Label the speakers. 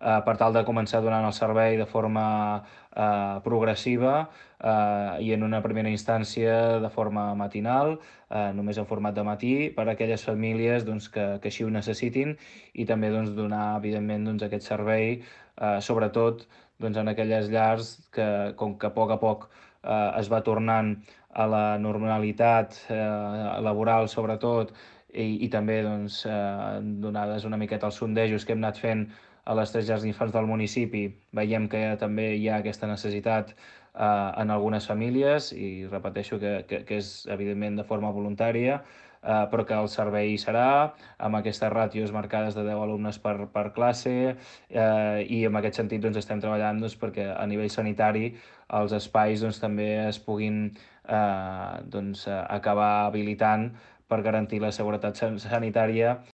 Speaker 1: per tal de començar donant el servei de forma progressiva i en una primera instància de forma matinal, només en format de matí, per a aquelles famílies doncs, que així ho necessitin i també doncs, donar, evidentment, doncs, aquest servei, sobretot doncs, en aquelles llars que, com que a poc es va tornant a la normalitat laboral, sobretot, i també doncs, donades una miqueta els sondejos que hem anat fent a les 3 llars d'infants del municipi, veiem que també hi ha aquesta necessitat en algunes famílies i repeteixo que és evidentment de forma voluntària, però que el servei serà amb aquestes ràtios marcades de 10 alumnes per classe i en aquest sentit doncs, estem treballant doncs, perquè a nivell sanitari els espais doncs, també es puguin doncs, acabar habilitant per garantir la seguretat sanitària